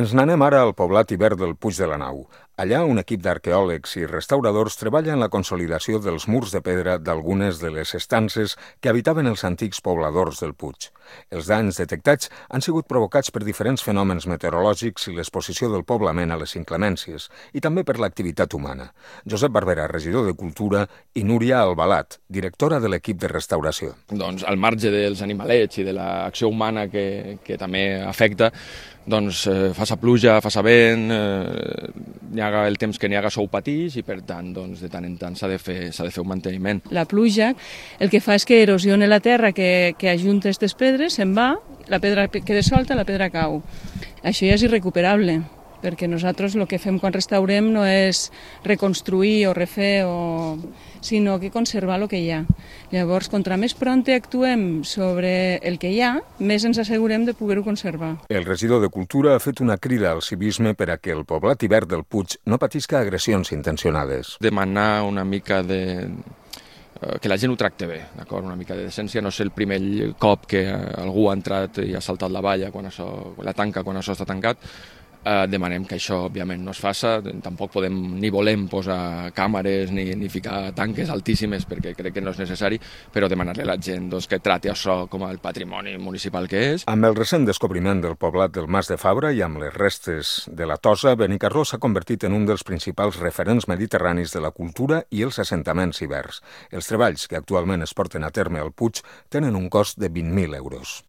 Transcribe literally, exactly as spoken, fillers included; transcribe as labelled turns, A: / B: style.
A: Ens n'anem ara al poblat Ibert del Puig de la Nau. Allà un equip d'arqueòlegs i restauradors treballa en la consolidació dels murs de pedra d'algunes de les estances que habitaven els antics pobladors del Puig. Els danys detectats han sigut provocats per diferents fenòmens meteorològics i l'exposició del poblament a les inclemències, i també per l'activitat humana. Josep Barbera, regidor de Cultura, i Núria Albalat, directora de l'equip de restauració.
B: Doncs al marge dels animalets i de l'acció humana que, que també afecta, doncs eh, fa sa pluja, fa sa vent, eh, n'hi ha el temps que n'hi ha sou patix i per tant doncs, de tant en tant s'ha de fer, s'ha de fer un manteniment.
C: La pluja el que fa és que erosione la terra que, que ajunta aquestes pedres, se'n va, la pedra queda solta, la pedra cau. Això ja és irrecuperable, perquè nosaltres el que fem quan restaurem no és reconstruir o refer, o... sinó que conservar el que hi ha. Llavors, contra més prompte actuem sobre el que hi ha, més ens assegurem de poder-ho conservar.
A: El regidor de Cultura ha fet una crida al civisme per a que el poblat Ibert del Puig no patisca agressions intencionades.
B: Demanar una mica de... que la gent ho tracte bé, d'acord? Una mica de decència, no és el primer cop que algú ha entrat i ha saltat la valla, quan això, la tanca quan això està tancat. Eh, demanem que això, òbviament, no es faça. Tampoc podem ni volem posar càmeres ni, ni ficar tanques altíssimes perquè crec que no és necessari, però demanar-li a la gent doncs, que trati això com el patrimoni municipal que és.
A: Amb el recent descobriment del poblat del Mas de Fabra i amb les restes de la Tossa, Benicarló s'ha convertit en un dels principals referents mediterranis de la cultura i els assentaments iberts. Els treballs que actualment es porten a terme al Puig tenen un cost de vint mil euros.